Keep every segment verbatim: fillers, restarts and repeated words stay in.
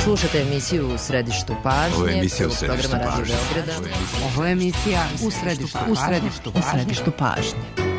Slušate emisiju U središtu pažnje. Ovo je emisija U središtu pažnje. Ovo je emisija U središtu pažnje. U središtu pažnje. U središtu pažnje.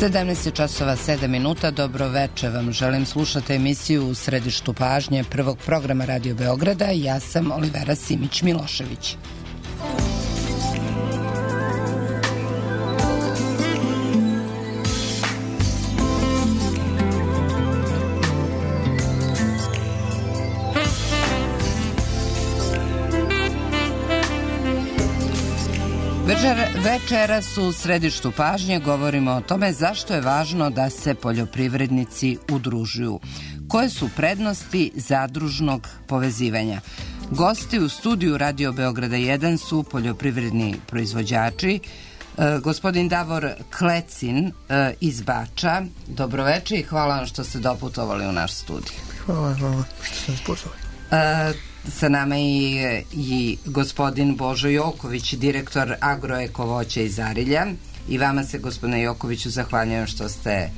sedamnaest časova sedam minuta, dobro veče vam. Želim slušati emisiju U središtu pažnje prvog programa Radio Beograda. Ja sam Olivera Simić-Milošević. Večeras u središtu pažnje govorimo o tome zašto je važno da se poljoprivrednici udružuju. Koje su prednosti zadružnog povezivanja? Gosti u studiju Radio Beograda jedan su poljoprivredni proizvođači. E, gospodin Davor Klecin e, iz Bača. Dobroveče i hvala vam što ste doputovali u naš studij. Hvala vam što ste nas pozvali. E, Sa nama je i gospodin Božo Joković, direktor Agroeko voća iz Arilja. I vama se, gospodine Jokoviću, zahvaljujem što ste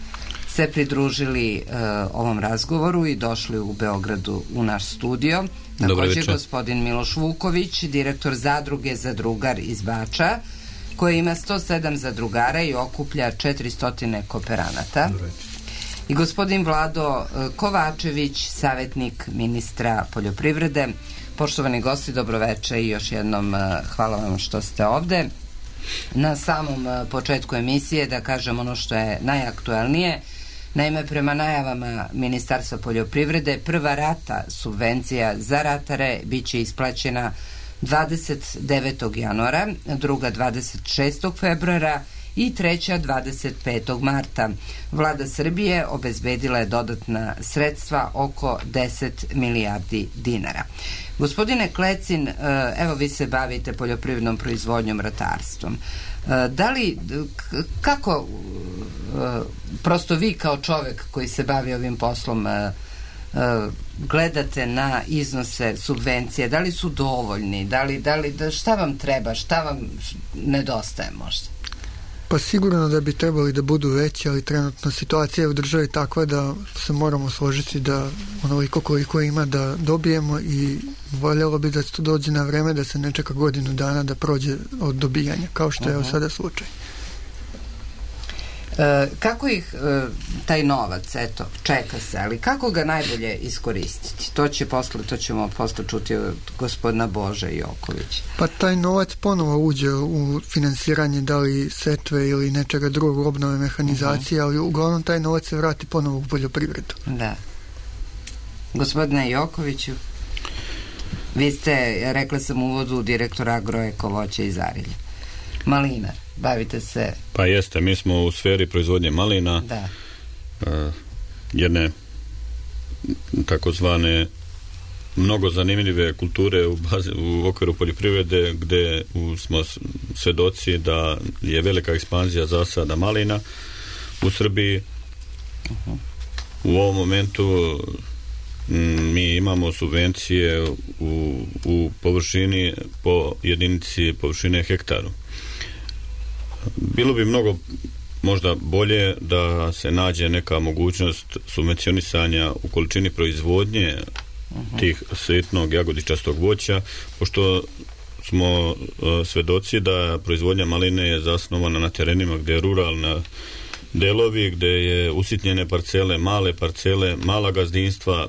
se pridružili uh, ovom razgovoru i došli u Beogradu u naš studio. Također gospodin Miloš Vuković, direktor zadruge Zadrugar iz Bača, koji ima sto sedam zadrugara i okuplja četiristo kooperanata. I gospodin Vlado Kovačević, savjetnik ministra poljoprivrede. Poštovani gosti, dobroveče i još jednom hvala vam što ste ovde. Na samom početku emisije da kažem ono što je najaktuelnije. Naime, prema najavama Ministarstva poljoprivrede, prva rata subvencija za ratare bit će isplaćena dvadeset devetog januara, druga dvadeset šestog februara i treća dvadeset petog marta. Vlada Srbije obezbedila je dodatna sredstva oko deset milijardi dinara. Gospodine Klecin, evo vi se bavite poljoprivrednom proizvodnjom, ratarstvom. Da li, kako prosto vi kao čovek koji se bavi ovim poslom gledate na iznose subvencije, da li su dovoljni, da li, da li, da, šta vam treba, šta vam nedostaje možda? Pa sigurno da bi trebali da budu veći, ali trenutno situacija je u državi takva da se moramo složiti da onoliko koliko ima da dobijemo i voljelo bi da to dođe na vreme, da se ne čeka godinu dana da prođe od dobijanja, kao što je uh-huh. sada slučaj. E, kako ih e, taj novac, eto, čeka se, ali kako ga najbolje iskoristiti? To će posle, to ćemo posle čuti od gospodina Bože Jokovića. Pa taj novac ponovo uđe u finansiranje da li setve ili nečega drugog, obnove mehanizacije, uh-huh. ali uglavnom taj novac se vrati ponovo u poljoprivredu. Da. Gospodine Jokoviću, vi ste, rekla sam u uvodu, direktor Agroeko voća iz Arilja. Malinar. bavite se... Pa jeste, mi smo u sferi proizvodnje malina, da. uh, jedne takozvane mnogo zanimljive kulture u, bazi, u okviru poljoprivrede, gde u, smo svedoci da je velika ekspanzija zasada malina u Srbiji. Uh-huh. U ovom momentu m, mi imamo subvencije u, u površini po jedinici površine hektaru. Bilo bi mnogo možda bolje da se nađe neka mogućnost subvencionisanja u količini proizvodnje uh-huh. tih sitnog jagodičastog voća, pošto smo uh, svedoci da proizvodnja maline je zasnovana na terenima gdje je ruralna delovi, gdje je usitnjene parcele, male parcele, mala gazdinstva,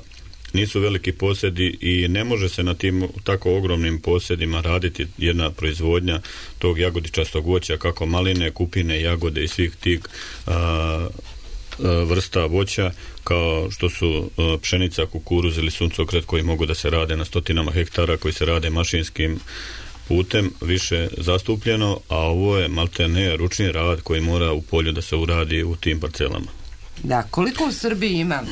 nisu veliki posjedi i ne može se na tim tako ogromnim posjedima raditi jedna proizvodnja tog jagodičastog voća, kako maline, kupine, jagode i svih tih a, a, vrsta voća, kao što su a, pšenica, kukuruz ili suncokret, koji mogu da se rade na stotinama hektara, koji se rade mašinskim putem više zastupljeno, a ovo je maltene ručni rad koji mora u polju da se uradi u tim parcelama. Da, koliko u Srbiji ima,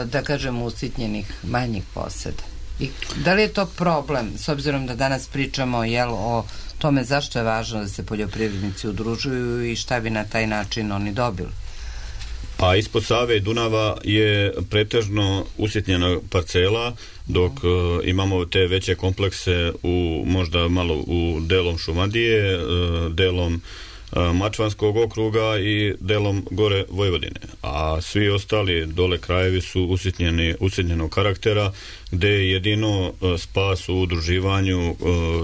da kažem, usitnjenih manjih posjeda? I da li je to problem, s obzirom da danas pričamo jel, o tome zašto je važno da se poljoprivrednici udružuju i šta bi na taj način oni dobili? Pa ispod Save i Dunava je pretežno usitnjena parcela, dok uh, imamo te veće komplekse u možda malo u delom Šumadije, uh, delom Mačvanskog okruga i delom gore Vojvodine, a svi ostali dole krajevi su usitnjeni, usitnjenog karaktera, gde je jedino spas u udruživanju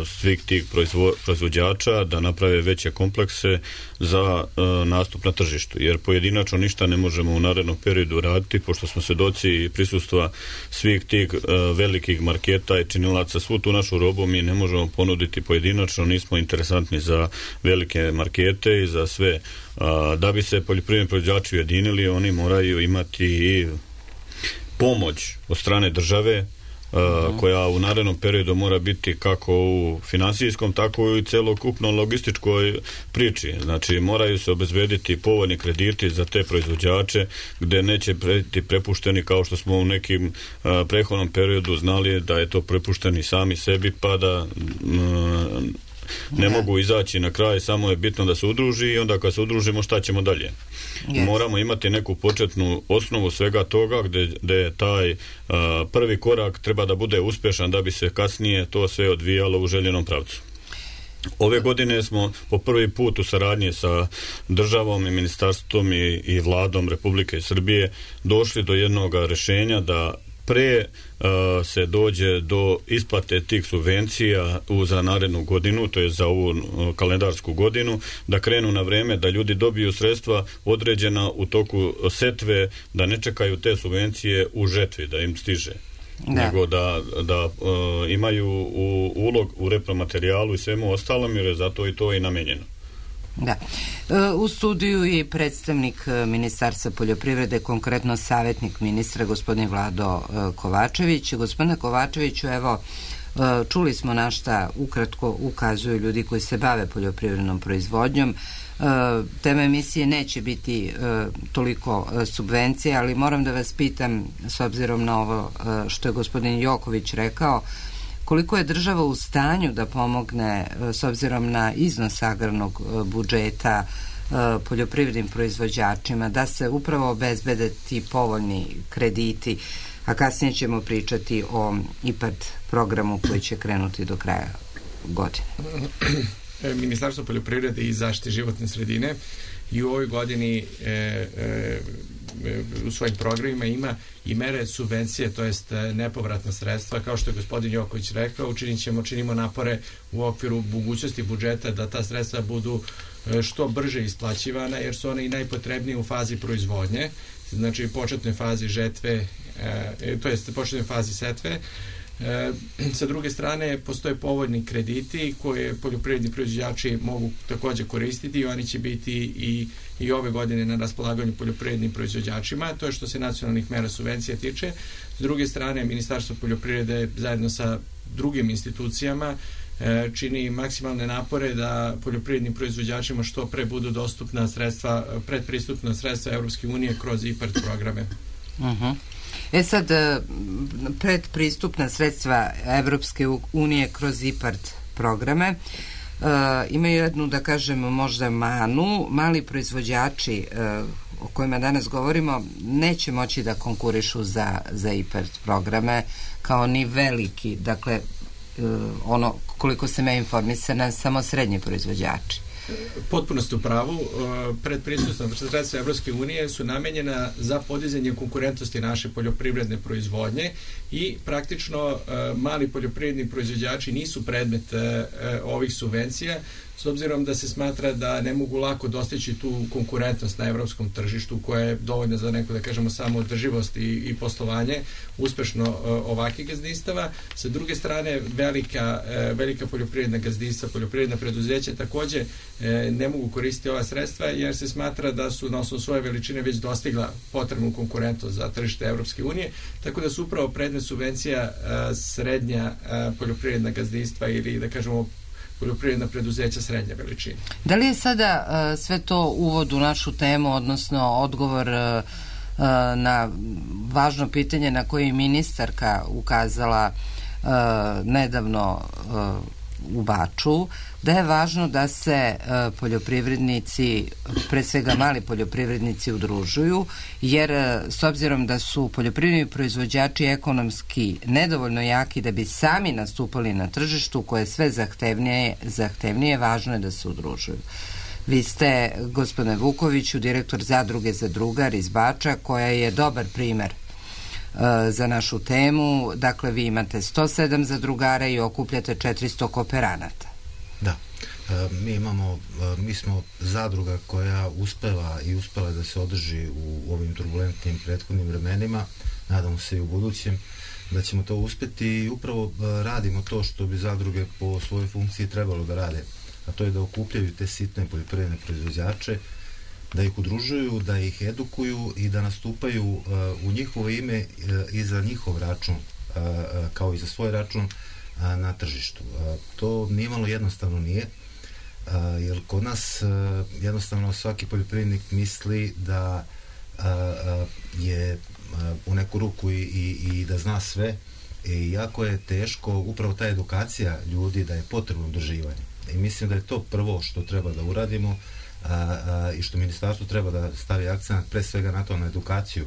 svih tih proizvo, proizvođača da naprave veće komplekse za nastup na tržištu, jer pojedinačno ništa ne možemo u narednom periodu raditi, pošto smo svedoci prisustva svih tih velikih marketa i činilaca. Svu tu našu robu mi ne možemo ponuditi pojedinačno, nismo interesantni za velike markete i za sve. Da bi se poljoprivredni proizvođači ujedinili, oni moraju imati i pomoć od strane države, Uh, koja u narednom periodu mora biti kako u finansijskom, tako i celokupno logističkoj priči. Znači, moraju se obezbediti povoljni krediti za te proizvođače, gde neće biti prepušteni, kao što smo u nekim uh, prethodnom periodu znali da je to prepušteni sami sebi, pa da uh, ne mogu izaći na kraj, samo je bitno da se udruži i onda kad se udružimo šta ćemo dalje. Yes. Moramo imati neku početnu osnovu svega toga gde, gde je taj uh, prvi korak treba da bude uspešan da bi se kasnije to sve odvijalo u željenom pravcu. Ove godine smo po prvi put u saradnji sa državom i ministarstvom i, i vladom Republike Srbije došli do jednog rešenja da pre uh, se dođe do isplate tih subvencija u, za narednu godinu, to je za ovu uh, kalendarsku godinu, da krenu na vreme, da ljudi dobiju sredstva određena u toku setve, da ne čekaju te subvencije u žetvi, da im stiže. Da. Nego da, da uh, imaju u, ulog u repromaterijalu i svemu ostalom, jer je zato i to i namenjeno. Da. U studiju je predstavnik Ministarstva poljoprivrede, konkretno savjetnik ministra, gospodin Vlado Kovačević. Gospodine Kovačeviću, evo, čuli smo na šta ukratko ukazuju ljudi koji se bave poljoprivrednom proizvodnjom. Tema emisije neće biti toliko subvencije, ali moram da vas pitam, s obzirom na ovo što je gospodin Joković rekao, koliko je država u stanju da pomogne, s obzirom na iznos agrarnog budžeta, poljoprivrednim proizvođačima, da se upravo obezbede ti povoljni krediti, a kasnije ćemo pričati o IPARD programu koji će krenuti do kraja godine. Ministarstvo poljoprivrede i zaštite životne sredine i u ovoj godini e, e, u svojim programima ima i mere subvencije, to jest nepovratna sredstva. Kao što je gospodin Joković rekao, učinit ćemo, činimo napore u okviru mogućnosti budžeta da ta sredstva budu što brže isplaćivana, jer su one i najpotrebnije u fazi proizvodnje, znači početnoj fazi žetve, e, to jest početnoj fazi setve. E, sa druge strane, postoje povoljni krediti koje poljoprivredni proizvođači mogu također koristiti i oni će biti i, i ove godine na raspolaganju poljoprivrednim proizvođačima. To je što se nacionalnih mera subvencija tiče. S druge strane, Ministarstvo poljoprivrede zajedno sa drugim institucijama čini maksimalne napore da poljoprivrednim proizvođačima što pre budu dostupna sredstva, predpristupna sredstva Evropske unije kroz IPARD programe. Uh-huh. E sad, predpristupna sredstva Evropske unije kroz IPARD programe uh, imaju jednu, da kažem, možda manu. Mali proizvođači uh, o kojima danas govorimo neće moći da konkurišu za, za IPARD programe kao ni veliki, dakle uh, ono koliko sam ja informisana, samo srednji proizvođači. Potpuno ste u pravu. Predpristupna sredstva Evropske unije su namenjena za podizanje konkurentnosti naše poljoprivredne proizvodnje i praktično mali poljoprivredni proizvođači nisu predmet ovih subvencija, s obzirom da se smatra da ne mogu lako dostići tu konkurentnost na evropskom tržištu koja je dovoljna za neku, da kažemo, samo održivost i, i poslovanje uspešno ovakvih gazdinstava. Sa druge strane, velika, velika poljoprivredna gazdinstva, poljoprivredna preduzeća takođe ne mogu koristiti ova sredstva jer se smatra da su na osnovu svoje veličine već dostigla potrebnu konkurentnost za tržište Evropske unije, tako da su upravo predmet subvencija srednja poljoprivredna gazdinstva ili, da kažemo, poljoprivredna preduzeća srednje veličine. Da li je sada uh, sve to uvod u našu temu, odnosno odgovor uh, uh, na važno pitanje na koje je ministarka ukazala uh, nedavno uh, u Baču, da je važno da se uh, poljoprivrednici, pre svega mali poljoprivrednici, udružuju, jer uh, s obzirom da su poljoprivredni proizvođači ekonomski nedovoljno jaki da bi sami nastupali na tržištu koje je sve zahtevnije, zahtevnije, važno je da se udružuju. Vi ste, gospodine Vukoviću, direktor zadruge Zadrugar iz Bača, koja je dobar primer za našu temu. Dakle, vi imate sto sedam zadrugara i okupljate četiristo kooperanata. Da. Mi imamo, mi smo zadruga koja uspeva i uspela da se održi u ovim turbulentnim prethodnim vremenima. Nadamo se i u budućem da ćemo to uspeti i upravo radimo to što bi zadruge po svojoj funkciji trebalo da rade, a to je da okupljaju te sitne poljoprivredne proizvođače, da ih udružuju, da ih edukuju i da nastupaju uh, u njihovo ime uh, i za njihov račun, uh, uh, kao i za svoj račun uh, na tržištu. Uh, to nije malo jednostavno nije, uh, jer kod nas uh, jednostavno svaki poljoprivrednik misli da uh, uh, je uh, u neku ruku i, i, i da zna sve i jako je teško upravo ta edukacija ljudi da je potrebno udruživanje. I mislim da je to prvo što treba da uradimo, A, a, i što ministarstvo treba da stavi akcent pre svega na to, na edukaciju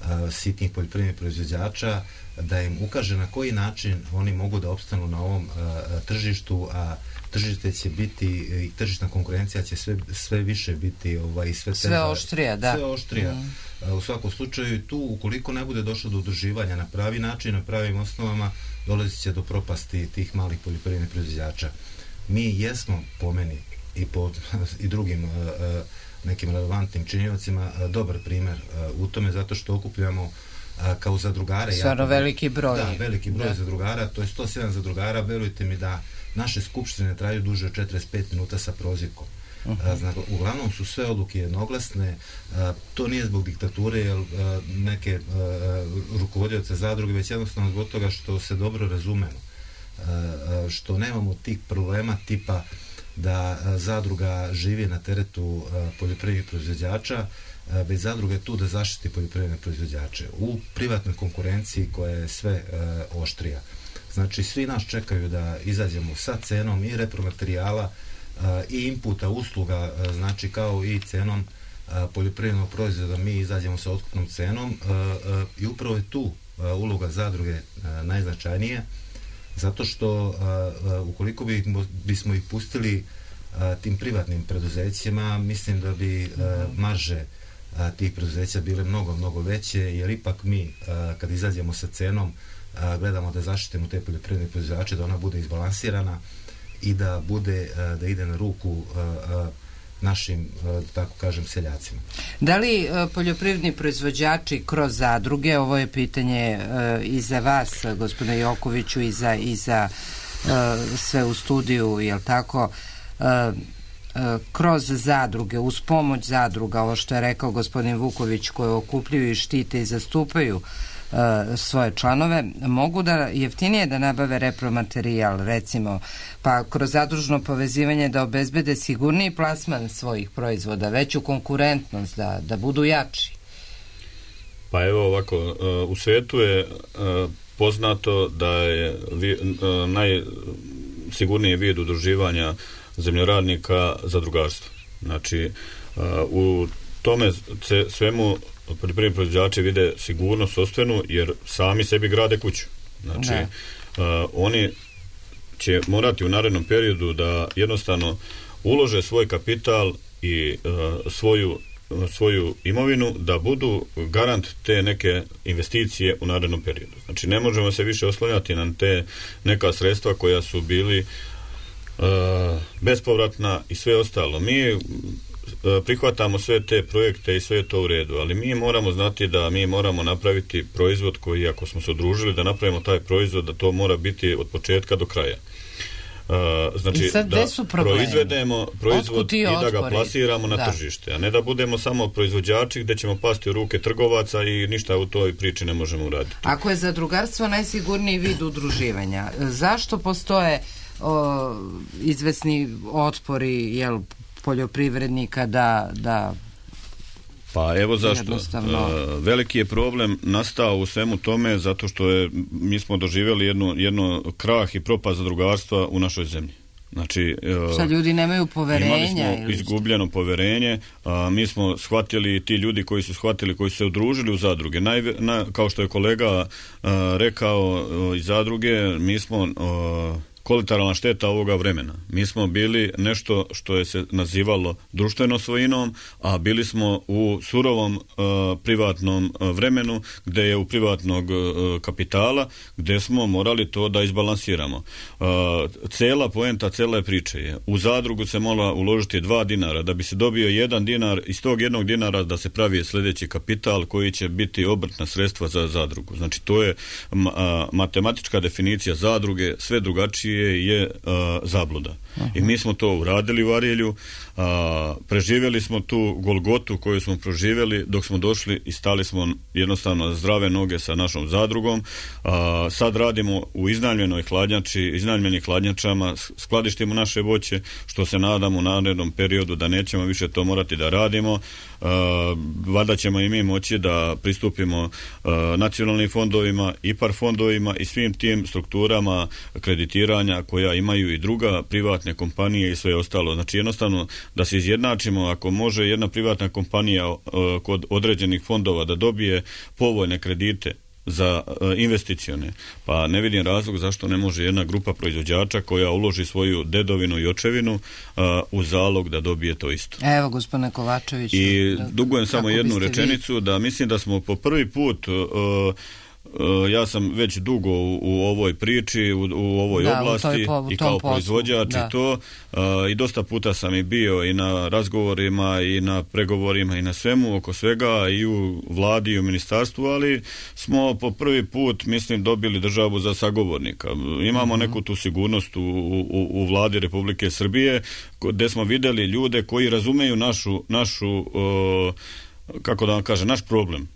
a, sitnih poljoprivrednih proizvođača, da im ukaže na koji način oni mogu da opstanu na ovom a, tržištu, a tržište će biti i tržišna konkurencija će sve, sve više biti ovaj, sve, sve oštrija, da. Sve oštrija. Mm. A, u svakom slučaju tu, ukoliko ne bude došlo do udruživanja na pravi način, na pravim osnovama, dolazit će do propasti tih malih poljoprivrednih proizvođača. Mi jesmo, po meni, i po i drugim uh, nekim relevantnim činiocima uh, dobar primer uh, u tome, zato što okupljamo uh, kao zadrugare. Stvarno veliki broj. Da, veliki broj da. zadrugara, to je sto sedam zadrugara, verujte mi da naše skupštine traju duže od četrdeset pet minuta sa prozivkom. Uh-huh. Znači, uglavnom su sve odluke jednoglasne, a, to nije zbog diktature, jer a, neke a, rukovodioce zadruge, već jednostavno zbog toga što se dobro razumemo, a, a, što nemamo tih problema tipa da a, zadruga živi na teretu a, poljoprivrednih proizvođača, a, već zadruga je tu da zaštiti poljoprivredne proizvođače u privatnoj konkurenciji koja je sve a, oštrija. Znači, svi nas čekaju da izađemo sa cenom i repromaterijala i inputa, usluga, znači kao i cenom poljoprivrednog proizvoda, mi izađemo sa otkupnom cenom i upravo je tu uloga zadruge najznačajnija, zato što ukoliko bi, bismo ih pustili tim privatnim preduzećima, mislim da bi marže tih preduzeća bile mnogo, mnogo veće, jer ipak mi kad izađemo sa cenom gledamo da zaštitimo te poljoprivredne proizvođače, da ona bude izbalansirana i da bude, da ide na ruku našim, tako kažem, seljacima. Da li poljoprivredni proizvođači kroz zadruge, ovo je pitanje i za vas, gospodine Jokoviću, i za, i za sve u studiju, jel tako, kroz zadruge, uz pomoć zadruga, ovo što je rekao gospodin Vuković, koje okupljuju i štite i zastupaju uh, svoje članove, mogu da jeftinije da nabave repromaterijal, recimo, pa kroz zadružno povezivanje da obezbede sigurniji plasman svojih proizvoda, veću konkurentnost, da, da budu jači? Pa evo ovako, uh, u svetu je uh, poznato da je vi, uh, najsigurniji vid udruživanja zemljoradnika zadrugarstvo. Znači, uh, u tome svemu poljoprivredni proizvođači vide sigurnost sopstvenu, jer sami sebi grade kuću. Znači, uh, oni će morati u narednom periodu da jednostavno ulože svoj kapital i uh, svoju svoju imovinu, da budu garant te neke investicije u narednom periodu. Znači, ne možemo se više oslanjati na te neka sredstva koja su bili uh, bespovratna i sve ostalo. Mi uh, prihvatamo sve te projekte i sve je to u redu, ali mi moramo znati da mi moramo napraviti proizvod koji, ako smo se udružili da napravimo taj proizvod, da to mora biti od početka do kraja. Uh, znači da proizvedemo proizvod i da ga plasiramo na da. tržište, a ne da budemo samo proizvođači gde ćemo pasti u ruke trgovaca i ništa u toj priči ne možemo uraditi. Ako je zadrugarstvo najsigurniji vid udruživanja, zašto postoje o, izvesni otpori, jel, poljoprivrednika da, da Pa evo zašto. Uh, veliki je problem nastao u svemu tome zato što je, mi smo doživjeli jedno, jedno krah i propast zadrugarstva u našoj zemlji. Znači, uh, šta, ljudi nemaju poverenja? Imali smo ili izgubljeno poverenje, a mi smo shvatili, ti ljudi koji su shvatili, koji su se udružili u zadruge, Najve, na, kao što je kolega uh, rekao uh, iz zadruge, mi smo uh, kolateralna šteta ovoga vremena. Mi smo bili nešto što je se nazivalo društvenom svojinom, a bili smo u surovom uh, privatnom uh, vremenu, gde je u privatnog uh, kapitala, gde smo morali to da izbalansiramo. Uh, cela poenta, cela je priče je, u zadrugu se mora uložiti dva dinara, da bi se dobio jedan dinar, iz tog jednog dinara da se pravi sljedeći kapital koji će biti obrtna sredstva za zadrugu. Znači, to je ma, a, matematička definicija zadruge, sve drugačije je a, zabluda. Aha. I mi smo to uradili u Arilju, a, preživjeli smo tu golgotu koju smo proživjeli dok smo došli i stali smo jednostavno zdrave noge sa našom zadrugom. A, sad radimo u iznajmljenoj hladnjači, iznajmljenim hladnjačama, skladištimo naše voće, što se nadamo u narednom periodu da nećemo više to morati da radimo. Uh, valjda ćemo i mi moći da pristupimo uh, nacionalnim fondovima, I P A R fondovima i svim tim strukturama kreditiranja koja imaju i druga privatne kompanije i sve ostalo. Znači, jednostavno da se izjednačimo, ako može jedna privatna kompanija uh, kod određenih fondova da dobije povoljne kredite za uh, investicione, pa ne vidim razlog zašto ne može jedna grupa proizvođača koja uloži svoju dedovinu i očevinu uh, u zalog da dobije to isto. Evo, gospodine Kovačević. I da, dugujem samo jednu rečenicu, vi... da mislim da smo po prvi put uh, Uh, ja sam već dugo u, u ovoj priči, u, u ovoj da, oblasti po, i kao proizvođač i to uh, i dosta puta sam i bio i na razgovorima i na pregovorima i na svemu oko svega i u vladi i u ministarstvu, ali smo po prvi put, mislim, dobili državu za sagovornika. Imamo uh-huh. neku tu sigurnost u, u, u vladi Republike Srbije gde smo videli ljude koji razumeju našu, našu uh, kako da vam kažem, naš problem.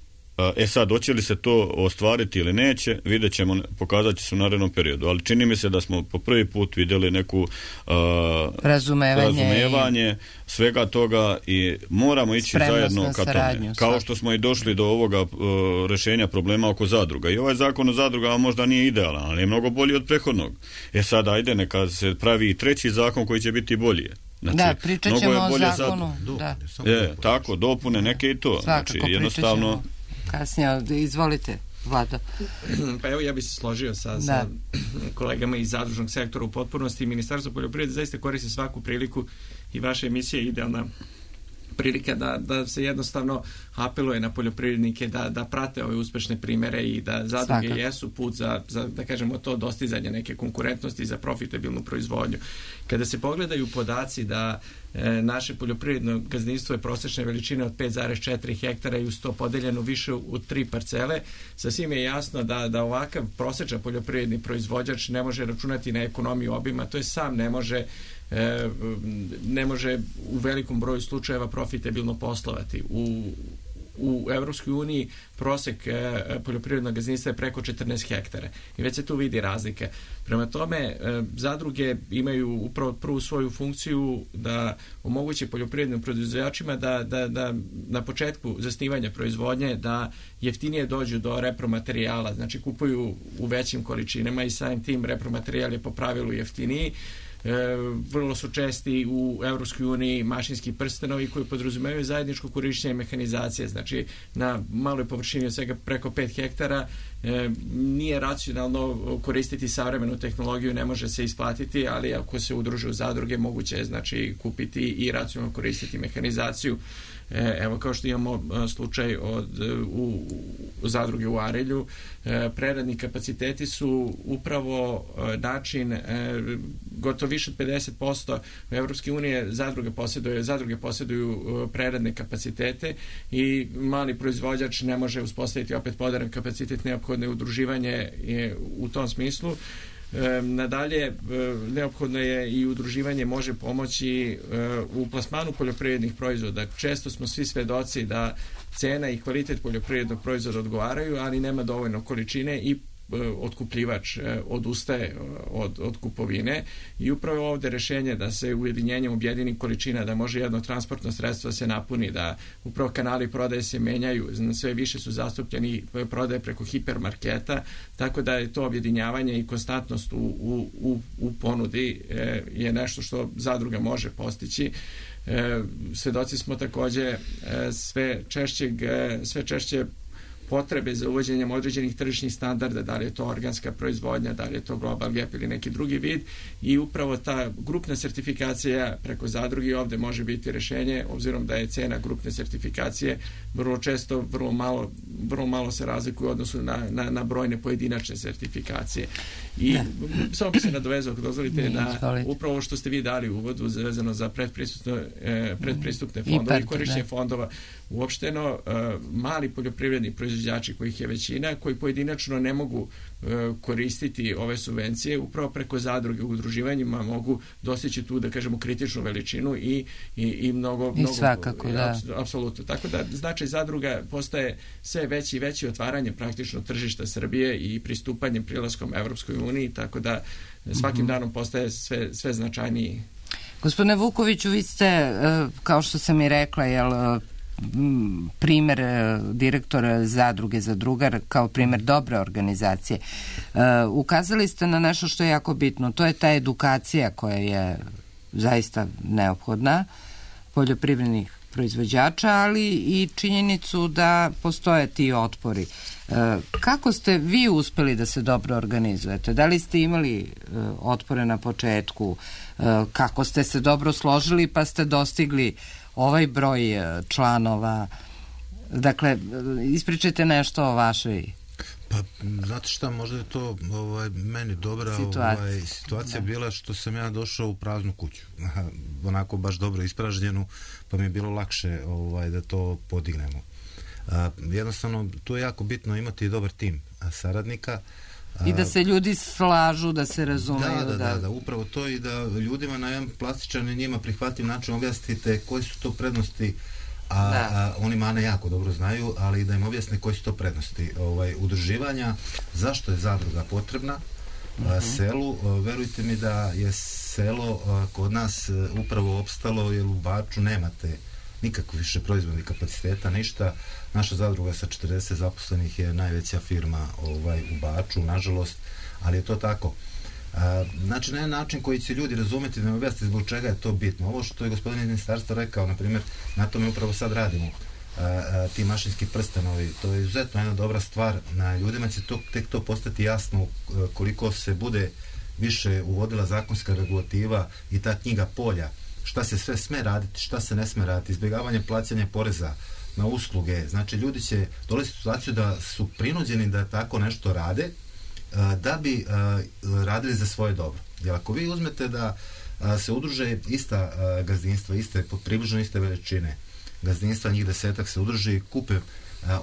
E sad, hoće li se to ostvariti ili neće, vidjet ćemo, pokazat će se u narednom periodu. Ali čini mi se da smo po prvi put vidjeli neku uh, razumevanje, razumevanje svega toga i moramo ići zajedno ka tome. Kao što smo i došli do ovoga uh, rešenja problema oko zadruga. I ovaj zakon o zadrugama možda nije idealan, ali je mnogo bolji od prethodnog. E sad, ajde, neka se pravi i treći zakon koji će biti bolji. Znači, da, pričat ćemo o zakonu. Da. Je, tako, dopune neke i to. Svakako, znači, jednostavno kasnije, izvolite, Vlado. Pa evo, ja bih se složio sa, sa kolegama iz zadružnog sektora u potpunosti. Ministarstvo poljoprivrede zaista koristi svaku priliku i vaša emisija je idealna prilika da, da se jednostavno apeluje na poljoprivrednike da, da prate ove uspešne primere i da zadruge Svaka. jesu put za, za, da kažemo, to dostizanje neke konkurentnosti za profitabilnu proizvodnju. Kada se pogledaju podaci da e, naše poljoprivredno gazdinstvo je prosječne veličine od pet zarez četiri hektara i uz to podeljeno više u tri parcele, sasvim je jasno da, da ovakav prosječan poljoprivredni proizvođač ne može računati na ekonomiju obima, to je sam ne može E, ne može u velikom broju slučajeva profitabilno poslovati. U, u Evropskoj uniji prosek e, poljoprivrednog gazdinstva je preko četrnaest hektara i već se tu vidi razlike. Prema tome, e, zadruge imaju upravo prvu svoju funkciju da omogući poljoprivrednim proizvođačima da, da, da na početku zasnivanja proizvodnje da jeftinije dođu do repromaterijala, znači kupuju u većim količinama i samim tim repromaterijal je po pravilu jeftiniji. E, vrlo su česti u Evropskoj uniji mašinski prstenovi koji podrazumevaju zajedničko korišćenje mehanizacije, znači na maloj površini od svega preko pet hektara e, nije racionalno koristiti savremenu tehnologiju, ne može se isplatiti, ali ako se udruže u zadruge moguće je znači kupiti i racionalno koristiti mehanizaciju. E, evo kao što imamo slučaj od, u, u zadruge u Arilju, e, preradni kapaciteti su upravo e, način e, gotovo više od pedeset posto u Evropske unije zadruge posjeduju, zadruge posjeduju preradne kapacitete i mali proizvođač ne može uspostaviti opet moderan kapacitet, neophodno je udruživanje je u tom smislu. E, nadalje, e, neophodno je i udruživanje može pomoći e, u plasmanu poljoprivrednih proizvoda. Često smo svi svedoci da cena i kvalitet poljoprivrednog proizvoda odgovaraju, ali nema dovoljno količine i otkupljivač odustaje od, od kupovine i upravo ovdje rješenje da se ujedinjenjem objedini količina, da može jedno transportno sredstvo se napuni, da upravo kanali prodaje se menjaju, sve više su zastupljeni prodaje preko hipermarketa, tako da je to objedinjavanje i konstantnost u, u, u, u ponudi je nešto što zadruga može postići. Svedoci smo također sve češćeg, sve češće potrebe za uvođenjem određenih tržišnih standarda, da li je to organska proizvodnja, da li je to Global Gap ili neki drugi vid i upravo ta grupna sertifikacija preko zadrugi ovdje može biti rješenje, obzirom da je cena grupne sertifikacije vrlo često, vrlo malo, vrlo malo se razlikuje u odnosu na, na, na brojne pojedinačne sertifikacije. I ne. Samo bi se nadovezao, ako dozvolite, na upravo što ste vi dali u uvodu vezano za predpristupne, eh, predpristupne fondove i korišćenje fondova. Uopšteno, eh, mali poljoprivredni proizvođači kojih je većina, koji pojedinačno ne mogu e, koristiti ove subvencije, upravo preko zadruge u udruživanjima mogu dostići tu, da kažemo, kritičnu veličinu i, i, i mnogo... I mnogo, svakako, da. Apsolutno. Tako da značaj zadruga postaje sve veći i veći otvaranje praktično tržišta Srbije i pristupanjem prilaskom Evropskoj uniji, tako da svakim mm-hmm. danom postaje sve, sve značajniji. Gospodine Vukoviću, vi ste, kao što sam i rekla, jel, primer direktora zadruge Zadrugar kao primer dobre organizacije. Uh, ukazali ste na nešto što je jako bitno, to je ta edukacija koja je zaista neophodna poljoprivrednih proizvođača, ali i činjenicu da postoje ti otpori. Uh, kako ste vi uspeli da se dobro organizujete? Da li ste imali uh, otpore na početku? Uh, kako ste se dobro složili pa ste dostigli ovaj broj članova? Dakle, ispričajte nešto o vašoj... Pa, znate šta, možda je to ovaj, meni dobra situacija, ovaj, situacija bila što sam ja došao u praznu kuću. Onako baš dobro ispražnjenu, pa mi je bilo lakše ovaj, da to podignemo. A, jednostavno, tu je jako bitno imati dobar tim saradnika. I da se ljudi slažu, da se razumeju. Da, da, da, da, upravo to i da ljudima na jedan plastičan i njima prihvatljiv način objasnite koji su to prednosti, a, a oni mane jako dobro znaju, ali da im objasne koji su to prednosti ovaj, udruživanja, zašto je zadruga potrebna uh-huh. a, selu. A, verujte mi da je selo a, kod nas a, upravo opstalo, jer u Baču nemate nikakve više proizvodnih kapaciteta, ništa. Naša zadruga sa četrdeset zaposlenih je najveća firma ovaj, u Baču, nažalost, ali je to tako. A, znači, na jedan način koji će ljudi razumjeti, da mi objasniti zbog čega je to bitno. Ovo što je gospodin iz ministarstva rekao, na primjer, na tome upravo sad radimo. A, a, ti mašinski prstenovi, to je izuzetno jedna dobra stvar. Na ljudima će to, tek to postati jasno koliko se bude više uvodila zakonska regulativa i ta knjiga polja, šta se sve sme raditi, šta se ne sme raditi, izbjegavanje plaćanja poreza na usluge. Znači, ljudi će dolaziti u situaciju da su prinuđeni da tako nešto rade, da bi radili za svoje dobro. Jer ako vi uzmete da se udruže ista gazdinstva, iste, približno iste veličine gazdinstva, njih desetak se udruže i kupe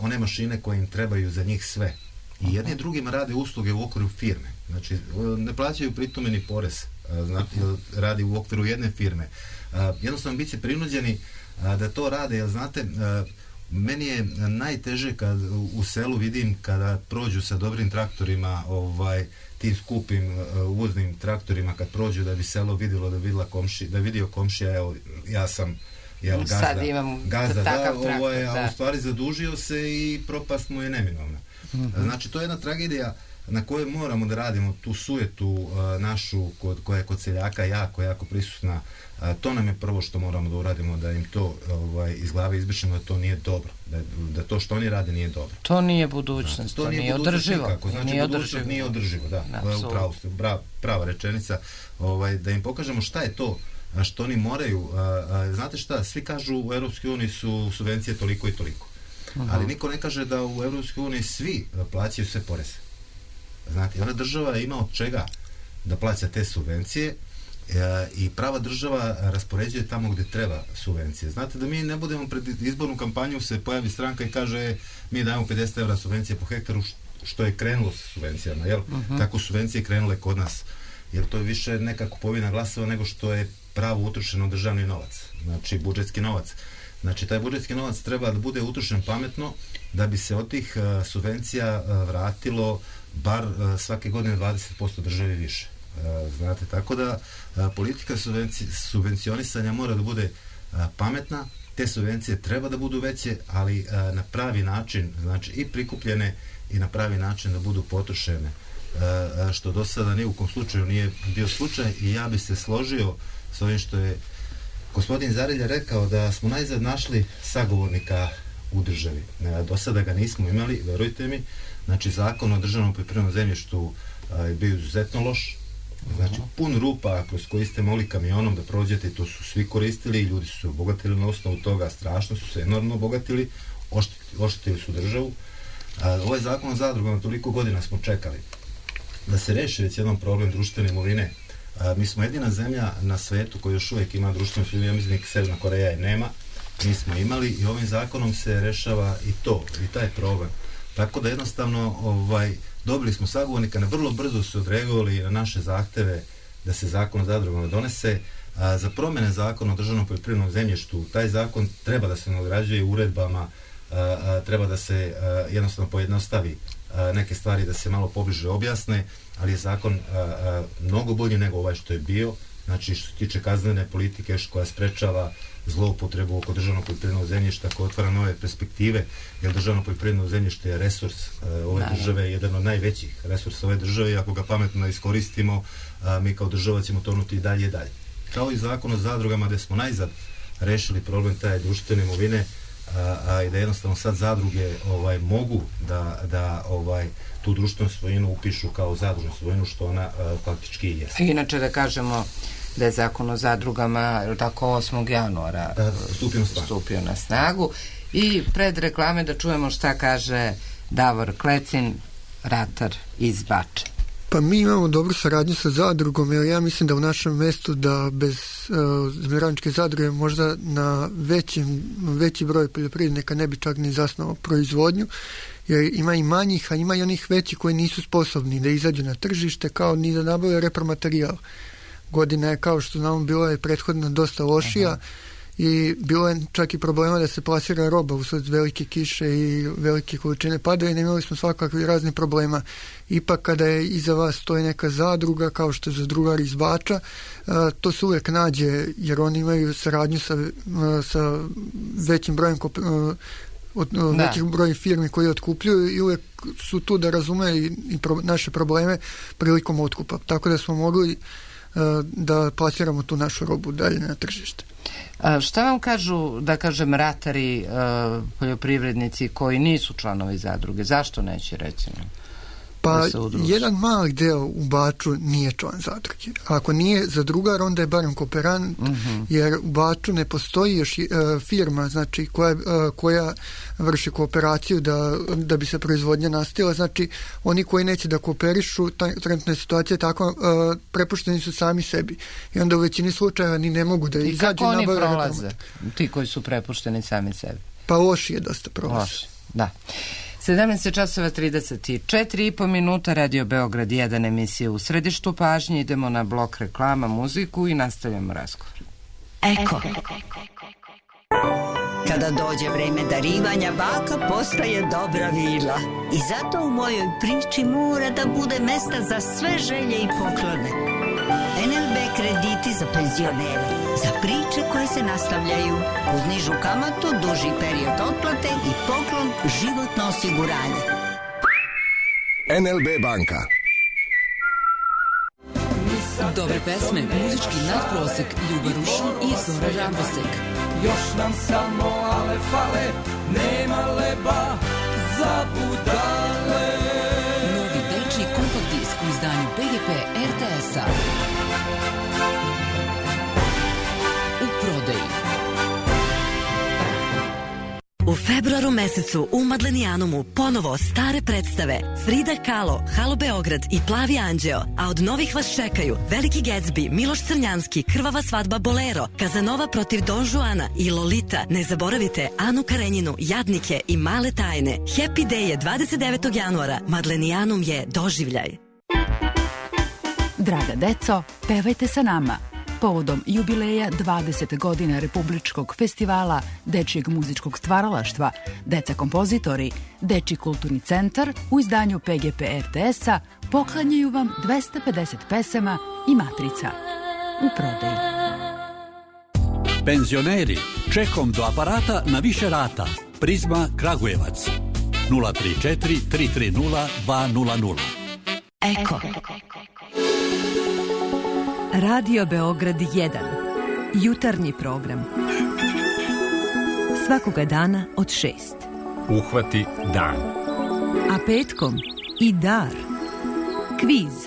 one mašine koje im trebaju za njih sve. I jedni drugima rade usluge u okviru firme. Znači, ne plaćaju pritom ni porez. Znači, radi u okviru jedne firme. Jednostavno bit će prinuđeni da to rade, jer znate, meni je najteže kad u selu vidim kada prođu sa dobrim traktorima, ovaj, tim skupim uh, uvoznim traktorima, kad prođu da bi selo vidjelo, da vidjela komši, da vidio komšija, evo, ja sam jel, gazda, sad imam gazda takav da, traktor, ovaj, da. a u stvari zadužio se i propast mu je neminovna. Mm-hmm. Znači, to je jedna tragedija na kojoj moramo da radimo tu sujetu uh, našu kod, koja je kod seljaka jako, jako prisutna. Uh, to nam je prvo što moramo da uradimo, da im to ovaj, iz glave izbrišemo, da to nije dobro, da, da to što oni rade nije dobro. To nije budućnost, znači, to, to nije, nije održivo. Nikako. Znači, nije budućnost održivo. nije održivo, da, Absolutno. upravo ste, bra, prava rečenica, ovaj, da im pokažemo šta je to što oni moraju. A, a, znate šta, svi kažu u Europskoj uniji su subvencije toliko i toliko. Uh-huh. Ali niko ne kaže da u Europskoj uniji svi plaćaju sve poreze. Znate, ona država ima od čega da plaća te subvencije e, i prava država raspoređuje tamo gdje treba subvencije. Znate, da mi ne budemo pred izbornu kampanju se pojavi stranka i kaže mi dajemo pedeset evra subvencije po hektaru, što je krenulo sa subvencijama, jel? Uh-huh. Tako subvencije krenule kod nas. Jer to je više neka kupovina glasova nego što je pravo utrošeno državni novac, znači budžetski novac. Znači, taj budžetski novac treba da bude utrošen pametno, da bi se od tih uh, subvencija uh, vratilo bar uh, svake godine dvadeset posto državi više. Uh, znate, tako da uh, politika subvenci, subvencionisanja mora da bude uh, pametna, te subvencije treba da budu veće, ali uh, na pravi način, znači i prikupljene i na pravi način da budu potrošene, uh, što do sada ni u kom slučaju nije bio slučaj. I ja bi se složio s ovim što je gospodin Zarilja rekao, da smo najzad našli sagovornika u državi. Do sada ga nismo imali, verujte mi. Znači, zakon o državnom poljoprivrednom zemljištu je bio izuzetno loš. Znači, pun rupa kroz koji ste mogli kamionom da prođete, to su svi koristili i ljudi su se obogatili na osnovu toga, strašno su se enormno obogatili, oštetili su državu. Ovaj zakon o zadrugama, toliko godina smo čekali da se reši već jedan problem društvene imovine. A, mi smo jedina zemlja na svetu koja još uvijek ima društvenu imovinu, ja mislim da Severna Koreja je nema, mi smo imali i ovim zakonom se rešava i to, i taj problem. Tako da jednostavno ovaj, dobili smo sagovornika, na vrlo brzo su odreagovali na naše zahteve da se zakon o zadrugama donese. A, za promjene zakona o državnom poljoprivrednom zemljištu, taj zakon treba da se nadograđuje uredbama, a, a, treba da se a, jednostavno pojednostavi a, neke stvari, da se malo pobliže objasne, ali je zakon a, a, mnogo bolji nego ovaj što je bio. Znači, što se tiče kaznene politike koja sprečava zloupotrebu oko državnog poljoprivrednog zemljišta, koja otvara nove perspektive, jer državno poljoprivredno zemljište je resurs a, ove Naravno. države, jedan od najvećih resursa ove države, i ako ga pametno iskoristimo, a, mi kao država ćemo tonuti dalje i dalje. Kao i zakon o zadrugama, gde smo najzad rešili problem taj društvene imovine, a, a i da jednostavno sad zadruge ovaj, mogu da, da ovaj, tu društvenu svojinu upišu kao zadružnu svojinu, što ona a, faktički i jeste. Inače da kažemo da je zakon o zadrugama tako osmog januara da, stupio, na stupio na snagu. I pred reklame da čujemo šta kaže Davor Klecin, ratar iz Bača. Pa mi imamo dobru saradnju sa zadrugom, jer ja mislim da u našem mestu da bez uh, zmirovničke zadruge možda na većim, veći broj poljoprivrednika ne bi čak ni zasnovao proizvodnju, jer ima i manjih, a ima i onih većih koji nisu sposobni da izađu na tržište, kao ni da nabave repromaterijal. Godina je, kao što znamo, bila je prethodna dosta lošija. Aha. I bilo je čak i problema da se plasira roba usled velike kiše i velike količine pada, i imali smo svakakvi razni problema. Ipak kada je iza vas stoji neka zadruga, kao što je zadrugar iz Bača, to se uvijek nađe, jer oni imaju saradnju sa, sa većim brojem od nekih broj firmi koji otkupljuju, i uvijek su tu da razume i, i pro, naše probleme prilikom otkupa. Tako da smo mogli da plasiramo tu našu robu dalje na tržište. A šta vam kažu, da kažem, ratari, uh, poljoprivrednici koji nisu članovi zadruge? Zašto neće, recimo? Pa, jedan mali deo u Baču nije član zadruge. Ako nije zadrugar, onda je barem kooperant, uh-huh. jer u Baču ne postoji još uh, firma, znači, koja, uh, koja vrši kooperaciju da, da bi se proizvodnja nastavila. Znači, oni koji neće da kooperišu, trenutna je situacija takva, uh, prepušteni su sami sebi. I onda u većini slučajeva ni ne mogu da izađu. I kako oni prolaze, ti koji su prepušteni sami sebi? Pa loši je dosta prolaze. Loši, da. sedamnaest časova trideset četiri i po minuta, Radio Beograd jedan, emisija U središtu pažnje. Idemo na blok reklama, muziku i nastavljamo razgovor. Eko. Eko. Kada dođe vreme darivanja, baka postaje dobra vila. I zato u mojoj priči mora da bude mesta za sve želje i poklone. en el be krediti za penzionere, za priče koje se nastavljaju, uz nižu kamatu, duži period otplate i poklon životno osiguranje. en el be banka. Dobre pesme, muzički nadprosek, Ljuba Rušin i Zora Radosek. Još nam samo ale fale, nema leba za budale. Novi dečiji kompakt disk u izdanju pe ge pe er te es-a. U prodaji. U februaru mesecu u Madlenijanumu ponovo stare predstave Frida Kahlo, Halo Beograd i Plavi anđeo, a od novih vas čekaju Veliki Gatsby, Miloš Crnjanski, Krvava svadba Bolero, Kazanova protiv Don Juana i Lolita. Ne zaboravite Anu Karenjinu, Jadnike i Male tajne. Happy Day je dvadeset devetog januara. Madlenijanum je doživljaj. Draga deco, pevajte sa nama. Povodom jubileja dvadeset godina Republičkog festivala dečijeg muzičkog stvaralaštva, Deca kompozitori, Dečiji kulturni centar u izdanju pe ge pe er te es-a poklanjaju vam dvesta pedeset pesama i matrica. U prodaji. Penzioneri, čekom do aparata na više rata. Prizma Kragujevac. nula tri četiri tri tri nula dva nula nula. Eko. Radio Beograd jedan. Jutarnji program. Svakoga dana od šest. Uhvati dan. A petkom i dar. Kviz.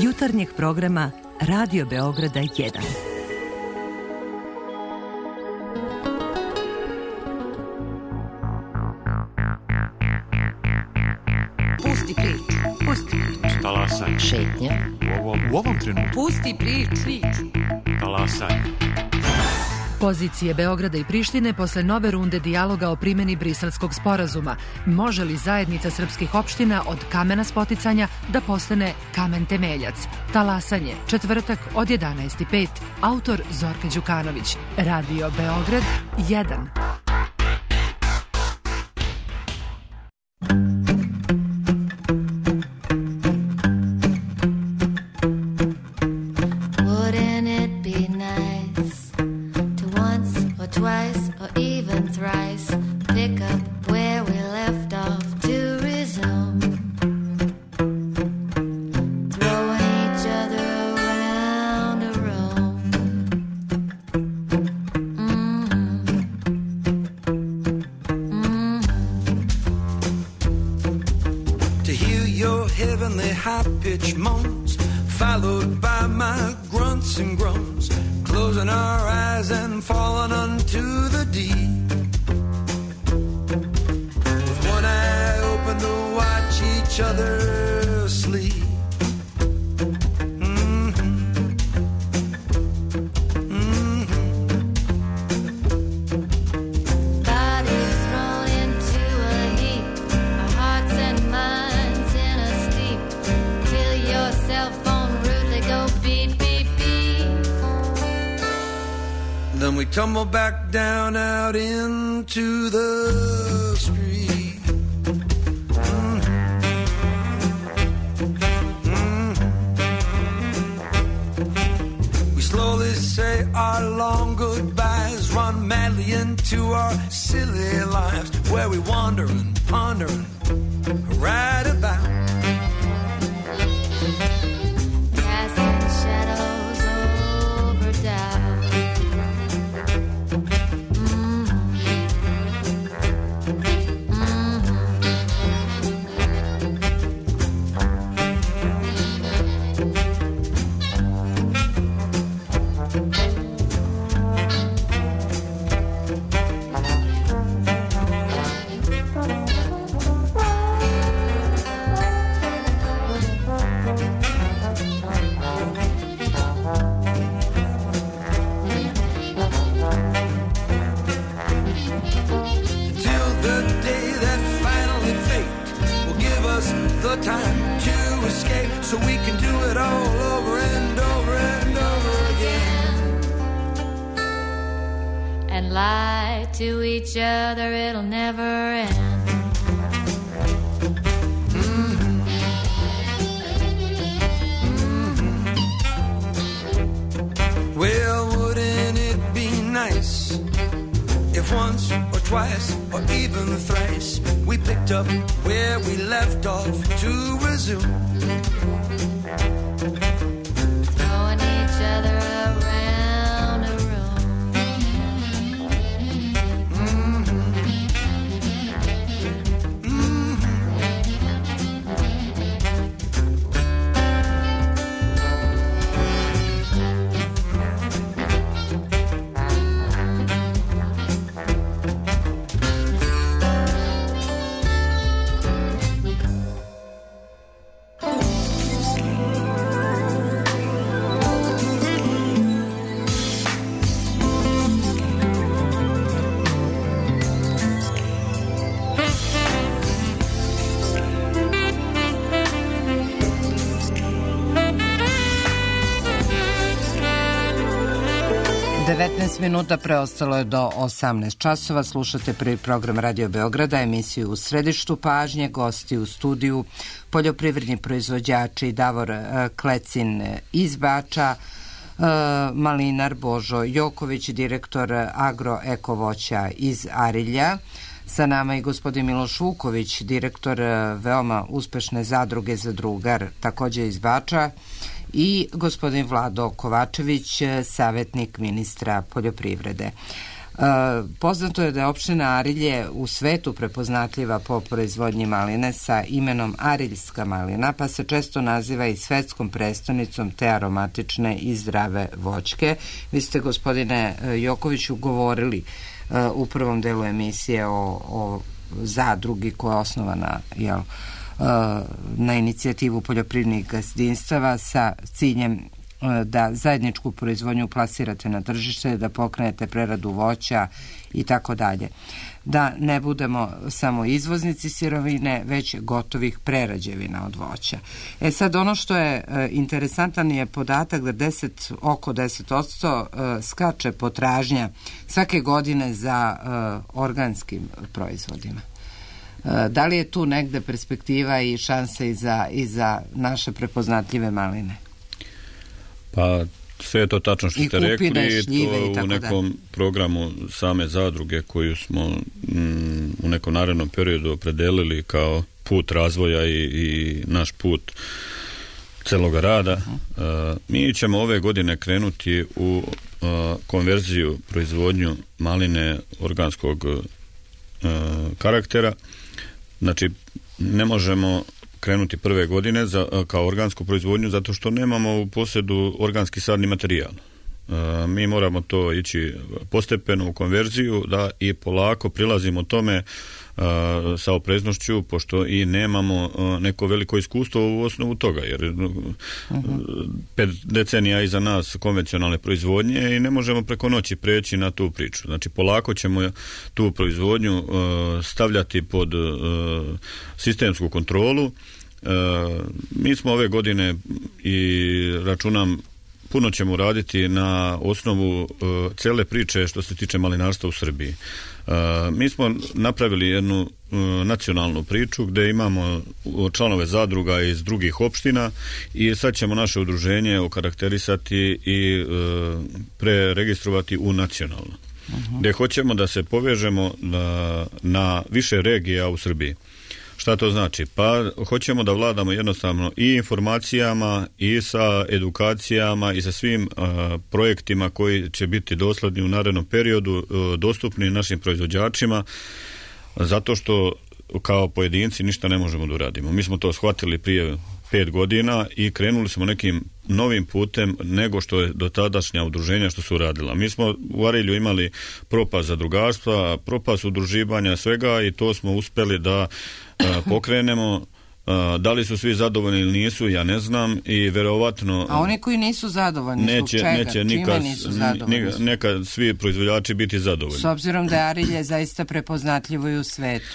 Jutarnjeg programa Radio Beograda jedan. Pusti priču. Pusti priču. Talasaj. Šetnja. U ovom, u ovom trenutku. Pusti priču. Talasaj. Pozicije Beograda i Prištine posle nove runde dijaloga o primjeni Briselskog sporazuma. Može li zajednica srpskih opština od kamena spoticanja da postane kamen temeljac? Talasanje, četvrtak od jedanaest i pet. Autor Zorka Đukanović. Radio Beograd jedan. high-pitched moans, followed by my grunts and groans, closing our eyes and falling unto the deep. With one eye open to watch each other sleep. Then we tumble back down out into the street. Mm-hmm. Mm-hmm. We slowly say our long goodbyes, run madly into our silly lives, where we wander and ponder and ride about. Time to escape so we can do it all over and over and over again. And life lie to each other, it'll never end. Mm-hmm. Mm-hmm. Well, wouldn't it be nice if once or twice or even thrice we picked up where we left off to resume? Throwing each other around a room. Mm-hmm. Mm-hmm. devetnaest minuta preostalo je do osamnaest časova. Slušate prvi program Radio Beograda, emisiju U središtu pažnje, gosti u studiju, poljoprivredni proizvođači Davor Klecin iz Bača, malinar Božo Joković, direktor Agro-eko voća iz Arilja. Sa nama i gospodin Miloš Vuković, direktor veoma uspešne zadruge Zadrugar, takođe iz Bača, i gospodin Vlado Kovačević, savjetnik ministra poljoprivrede. Poznato je da je opština Arilje u svetu prepoznatljiva po proizvodnji maline sa imenom Ariljska malina, pa se često naziva i svetskom prestonicom te aromatične i zdrave voćke. Vi ste, gospodine Jokoviću, govorili u prvom delu emisije o, o zadrugi koja je osnovana, jel, na inicijativu poljoprivrednih gazdinstava sa ciljem da zajedničku proizvodnju plasirate na tržište, da pokrenete preradu voća i tako dalje. Da ne budemo samo izvoznici sirovine, već gotovih prerađevina od voća. E sad, ono što je interesantan je podatak da deset, oko deset posto skače potražnja svake godine za organskim proizvodima. Da li je tu negde perspektiva i šanse i za, i za naše prepoznatljive maline? Pa sve je to tačno što I ste kupine, rekli, šljive to i tako u nekom da. programu same zadruge koju smo mm, u nekom narednom periodu opredelili kao put razvoja i, i naš put celoga rada. Uh-huh. Uh, mi ćemo ove godine krenuti u uh, konverziju, proizvodnju maline organskog uh, karaktera. Znači, ne možemo krenuti prve godine za, kao organsku proizvodnju zato što nemamo u posjedu organski sadni materijal. E, mi moramo to ići postepeno u konverziju da i polako prilazimo tome a, sa opreznošću, pošto i nemamo a, neko veliko iskustvo u osnovu toga, jer uh-huh. pet decenija iza nas konvencionalne proizvodnje i ne možemo preko noći preći na tu priču. Znači, polako ćemo tu proizvodnju a, stavljati pod a, sistemsku kontrolu. A, mi smo ove godine i računam puno ćemo raditi na osnovu uh, cele priče što se tiče malinarstva u Srbiji. Uh, mi smo napravili jednu uh, nacionalnu priču gde imamo članove zadruga iz drugih opština i sad ćemo naše udruženje okarakterisati i uh, preregistrovati u nacionalno. Uh-huh. Gde hoćemo da se povežemo na, na više regija u Srbiji. Šta to znači? Pa hoćemo da vladamo jednostavno i informacijama i sa edukacijama i sa svim uh, projektima koji će biti dosledni u narednom periodu uh, dostupni našim proizvođačima, zato što kao pojedinci ništa ne možemo da uradimo. Mi smo to shvatili prije pet godina i krenuli smo nekim novim putem nego što je do tadašnja udruženja što su radila. Mi smo u Arilju imali propast zadrugarstva, propast udruživanja, svega, i to smo uspeli da a, pokrenemo. A, da li su svi zadovoljni ili nisu, ja ne znam, i verovatno... A oni koji nisu zadovoljni, neće, zbog čega? Neće nikad, čime nisu zadovoljni? Nekad svi proizvođači biti zadovoljni. S obzirom da je Arilje zaista prepoznatljivo i u svetu.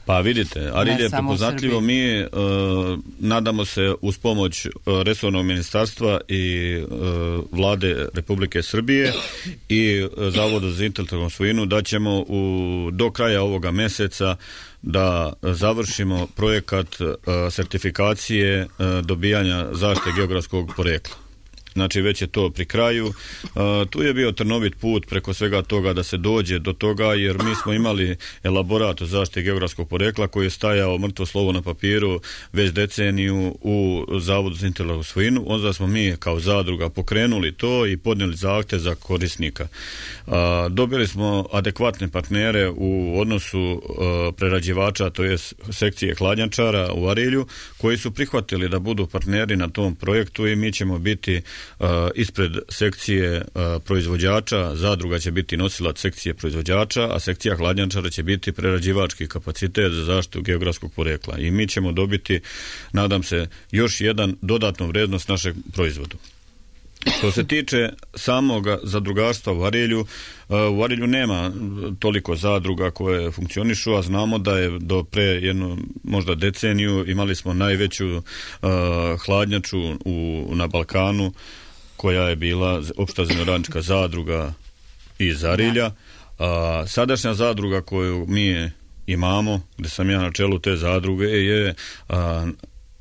Pa vidite, Arilje je prepoznatljivo, mi uh, nadamo se uz pomoć uh, resornog ministarstva i uh, vlade Republike Srbije i uh, Zavoda za intelektualnu svojinu da ćemo u, do kraja ovoga meseca da završimo projekat uh, sertifikacije uh, dobijanja zaštite geografskog porekla. Znači već je to pri kraju. Uh, tu je bio trnovit put preko svega toga da se dođe do toga, jer mi smo imali elaborat o zaštiti geografskog porekla koji je stajao mrtvo slovo na papiru već deceniju u Zavodu za intelektualnu svojinu. Onda smo mi kao zadruga pokrenuli to i podnijeli zahtjev za korisnika. Uh, dobili smo adekvatne partnere u odnosu uh, prerađivača, to je sekcije hladnjačara u Arilju, koji su prihvatili da budu partneri na tom projektu i mi ćemo biti Uh, ispred sekcije uh, proizvođača, zadruga će biti nosilac sekcije proizvođača, a sekcija hladnjačara će biti prerađivački kapacitet za zaštitu geografskog porekla. I mi ćemo dobiti, nadam se, još jedan dodatnu vrednost našeg proizvodu. Što se tiče samog zadrugarstva u Arilju, u Arilju nema toliko zadruga koje funkcionišu, a znamo da je do pre jednu možda deceniju imali smo najveću uh, hladnjaču u, na Balkanu, koja je bila opšta zemljoradnička zadruga iz Arilja. A sadašnja zadruga koju mi imamo, gde sam ja na čelu te zadruge, je a,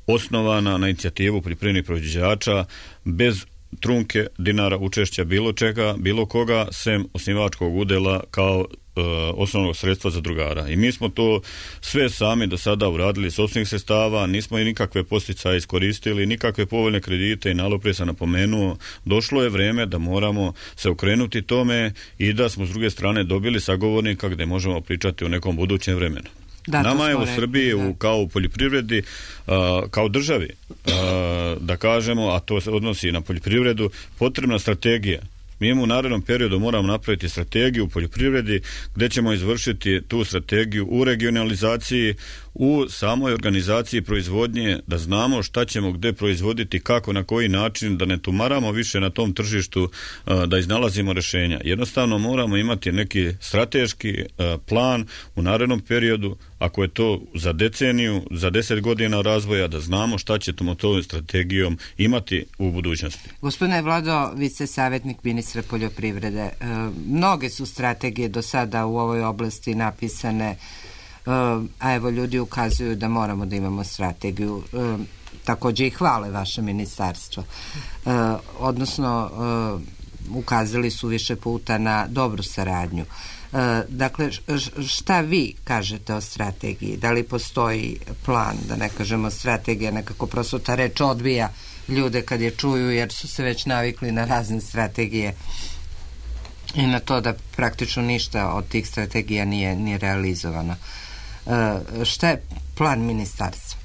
osnovana na inicijativu poljoprivrednih proizvođača bez trunke dinara učešća bilo čega, bilo koga, sem osnivačkog udela kao e, osnovnog sredstva zadrugara. I mi smo to sve sami do sada uradili s osnovnih sredstava, nismo i nikakve posticaje iskoristili, nikakve povoljne kredite i nalog, prije sam napomenuo, došlo je vreme da moramo se okrenuti tome i da smo s druge strane dobili sagovornika gde možemo pričati o nekom budućem vremenu. Da, nama je u Srbiji, rekli, u, kao u poljoprivredi, uh, kao državi, uh, da kažemo, a to se odnosi na poljoprivredu, potrebna strategija. Mi u narednom periodu moramo napraviti strategiju u poljoprivredi gdje ćemo izvršiti tu strategiju u regionalizaciji, u samoj organizaciji proizvodnje, da znamo šta ćemo gdje proizvoditi, kako, na koji način, da ne tumaramo više na tom tržištu, da iznalazimo rješenja. Jednostavno moramo imati neki strateški plan u narednom periodu, ako je to za deceniju, za deset godina razvoja, da znamo šta ćemo tom strategijom imati u budućnosti. Gospodine Vlado, vi ste savjetnik ministra poljoprivrede. E, mnoge su strategije do sada u ovoj oblasti napisane, a evo ljudi ukazuju da moramo da imamo strategiju, e, također i hvale vaše ministarstvo, e, odnosno e, ukazali su više puta na dobru saradnju. E, dakle, šta vi kažete o strategiji? Da li postoji plan, da ne kažemo strategija, nekako prosto ta reč odbija ljude kad je čuju, jer su se već navikli na razne strategije i na to da praktično ništa od tih strategija nije, nije realizovano. Uh, šta je plan ministarstva?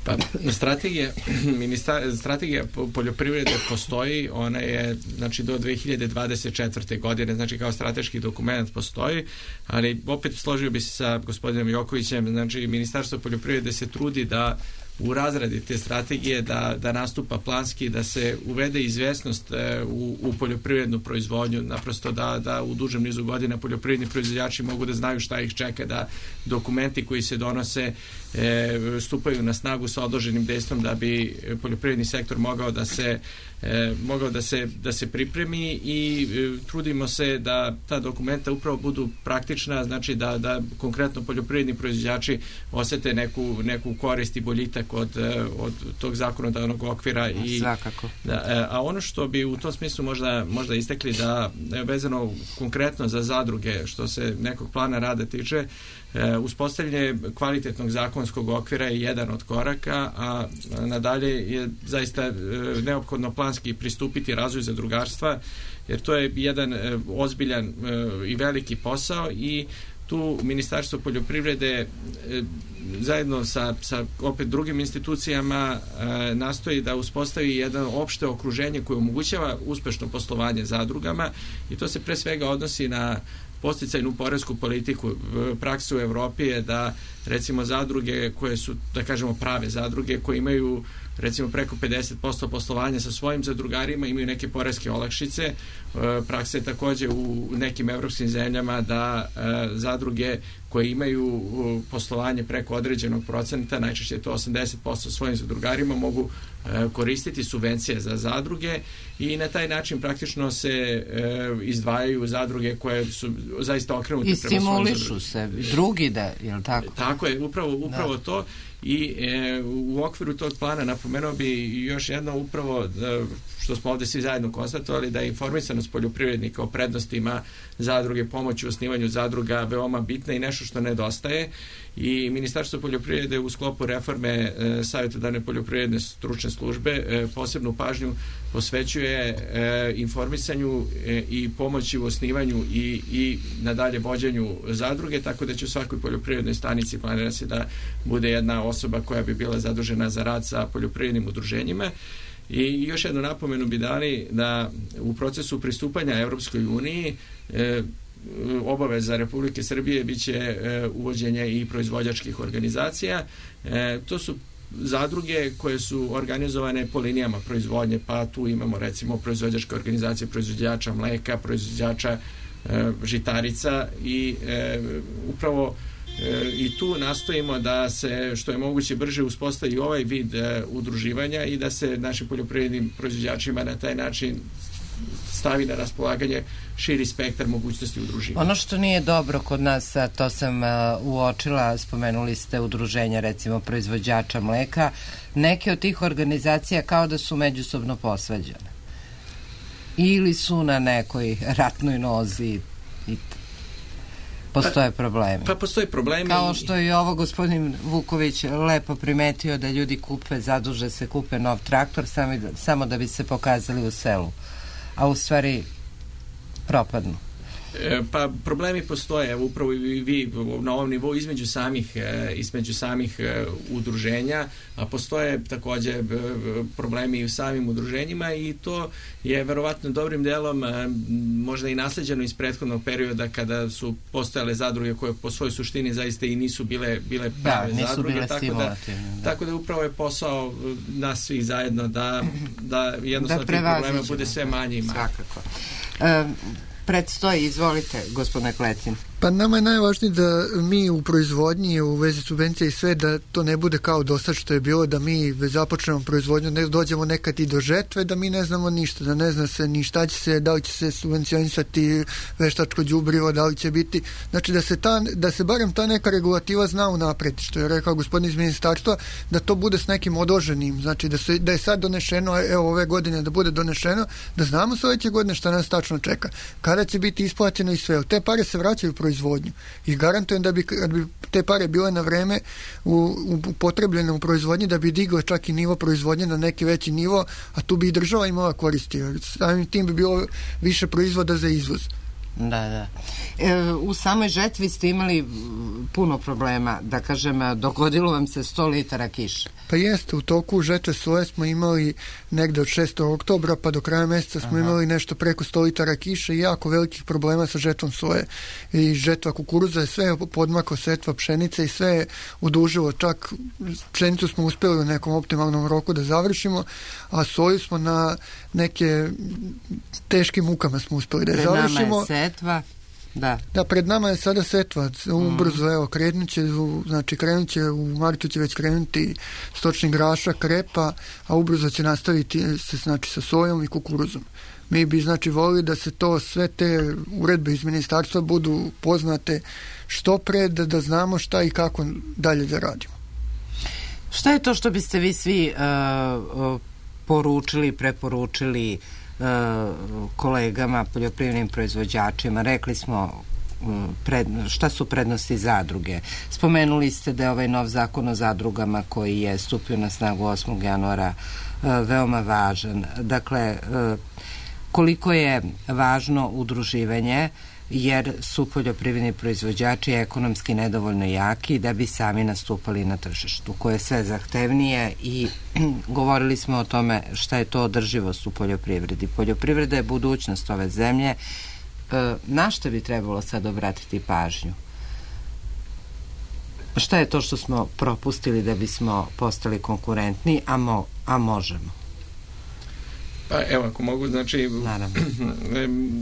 Pa, strategija, ministar, strategija poljoprivrede postoji, ona je znači do dve hiljade dvadeset četvrte godine, znači kao strateški dokument postoji, ali opet složio bi se sa gospodinom Jokovićem, znači Ministarstvo poljoprivrede se trudi da u razradi te strategije da, da nastupa planski, da se uvede izvesnost e, u, u poljoprivrednu proizvodnju, naprosto da, da u dužem nizu godina poljoprivredni proizvođači mogu da znaju šta ih čeka, da dokumenti koji se donose e, stupaju na snagu sa odloženim dejstvom da bi poljoprivredni sektor mogao da se E, mogao da se, da se pripremi i e, trudimo se da ta dokumenta upravo budu praktična, znači da, da konkretno poljoprivredni proizvođači osete neku, neku korist i boljitak od, od tog zakonodavnog okvira. I, svakako. Da, e, a ono što bi u tom smislu možda, možda istekli da vezano konkretno za zadruge, što se nekog plana rada tiče, E, uspostavljanje kvalitetnog zakonskog okvira je jedan od koraka, a nadalje je zaista e, neophodno planski pristupiti razvoju zadrugarstva, jer to je jedan e, ozbiljan e, i veliki posao i tu Ministarstvo poljoprivrede e, zajedno sa, sa opet drugim institucijama e, nastoji da uspostavi jedno opšte okruženje koje omogućava uspešno poslovanje zadrugama i to se pre svega odnosi na posticajnu poresku politiku. Praksa u Evropi je da recimo zadruge koje su, da kažemo, prave zadruge koje imaju recimo preko pedeset posto poslovanja sa svojim zadrugarima imaju neke poreske olakšice. E, praksa je također u nekim evropskim zemljama da e, zadruge koji imaju poslovanje preko određenog procenta, najčešće je to osamdeset posto svojim zadrugarima, mogu koristiti subvencije za zadruge i na taj način praktično se e, izdvajaju zadruge koje su zaista okrenute i prema svojim zadruge. I stimulišu se drugi da, je li tako? Tako je, upravo, upravo da. to. I e, u okviru tog plana napomenuo bi još jedno upravo da, što smo ovde svi zajedno konstatovali, da je informisanost poljoprivrednika o prednostima zadruge, pomoći u osnivanju zadruga veoma bitna i nešto što nedostaje, i Ministarstvo poljoprivrede u sklopu reforme e, savjetodavne poljoprivredne stručne službe e, posebnu pažnju posvećuje e, informisanju e, i pomoći u osnivanju i, i nadalje vođenju zadruge, tako da će u svakoj poljoprivrednoj stanici planira se da bude jedna osoba koja bi bila zadužena za rad sa poljoprivrednim udruženjima. I još jednu napomenu bi dali da u procesu pristupanja Evropskoj uniji e, obaveza Republike Srbije biće e, uvođenje i proizvođačkih organizacija. E, to su zadruge koje su organizovane po linijama proizvodnje, pa tu imamo recimo proizvođačke organizacije proizvođača mleka, proizvođača e, žitarica i e, upravo E, i tu nastojimo da se što je moguće brže uspostavi ovaj vid e, udruživanja i da se našim poljoprivrednim proizvođačima na taj način stavi na raspolaganje širi spektar mogućnosti udruživanja. Ono što nije dobro kod nas, a to sam uh, uočila, spomenuli ste udruženja recimo proizvođača mleka, neke od tih organizacija kao da su međusobno posvađane ili su na nekoj ratnoj nozi i postoje problemi. Pa postoje problemi. Kao što je ovo gospodin Vuković lepo primetio, da ljudi kupe, zaduže se, kupe nov traktor sami, samo da bi se pokazali u selu. A u stvari propadnu. E, pa problemi postoje, upravo i vi na ovom nivou između samih, e, između samih e, udruženja, a postoje takođe e, problemi i u samim udruženjima, i to je verovatno dobrim delom e, možda i nasleđeno iz prethodnog perioda kada su postojale zadruge koje po svojoj suštini zaista i nisu bile, bile prave da, zadruge. Bile tako, da, da. tako da upravo je posao nas svih zajedno da, da jednostavno da tih problema bude sve manje i manje. Svakako. Um, Predstoji, izvolite, gospodine Klecin. Pa nama je najvažnije da mi u proizvodnji, u vezi subvencija i sve, da to ne bude kao do sad što je bilo, da mi započnemo proizvodnju, ne dođemo nekad i do žetve, da mi ne znamo ništa, da ne zna se ni šta će se, da li će se subvencionisati veštačko đubrivo, da li će biti, znači da se, ta, da se barem ta neka regulativa zna unapred, što je rekao gospodin iz ministarstva, da to bude s nekim odloženim, znači da, se, da je sad donešeno, evo ove godine da bude donešeno, da znamo sledeće godine šta nas tačno čeka, kada će biti isplaćeno i sve, te pare se vraćaju u proizvodnju i garantujem da bi, kad bi te pare bile na vreme u, upotrebljene u proizvodnji, da bi digle čak i nivo proizvodnje na neki veći nivo, a tu bi i država imala koristi, samim tim bi bilo više proizvoda za izvoz. Da, da. E, u samoj žetvi ste imali puno problema, da kažem, dogodilo vam se sto litara kiše. Pa jeste, u toku žetve soje smo imali negde od šestog oktobra pa do kraja meseca smo Aha. imali nešto preko sto litara kiše i jako velikih problema sa žetvom soje. I žetva kukuruza je sve podmaklo, setva pšenice i sve je odužilo, čak pšenicu smo uspeli u nekom optimalnom roku da završimo, a soju smo na neke teškim mukama smo uspeli da je završimo. Pred nama je setva. Da. Da, pred nama je sada setva, ubrzo, evo, krenut će, znači krenut će, u martu će već krenuti stočni grašak, krepa, a ubrzo će nastaviti se, znači, sa sojom i kukuruzom. Mi bi, znači, volili da se to, sve te uredbe iz ministarstva budu poznate što pre, da, da znamo šta i kako dalje da radimo. Šta je to što biste vi svi uh, poručili, preporučili kolegama, poljoprivrednim proizvođačima? Rekli smo pred, šta su prednosti zadruge. Spomenuli ste da je ovaj nov zakon o zadrugama koji je stupio na snagu osmog januara veoma važan. Dakle, koliko je važno udruživanje, jer su poljoprivredni proizvođači ekonomski nedovoljno jaki da bi sami nastupali na tržištu, koje je sve zahtevnije, i govorili smo o tome šta je to održivost u poljoprivredi. Poljoprivreda je budućnost ove zemlje. Na šta bi trebalo sad obratiti pažnju? Šta je to što smo propustili da bismo postali konkurentni, a, mo, a možemo? Pa evo, ako mogu, znači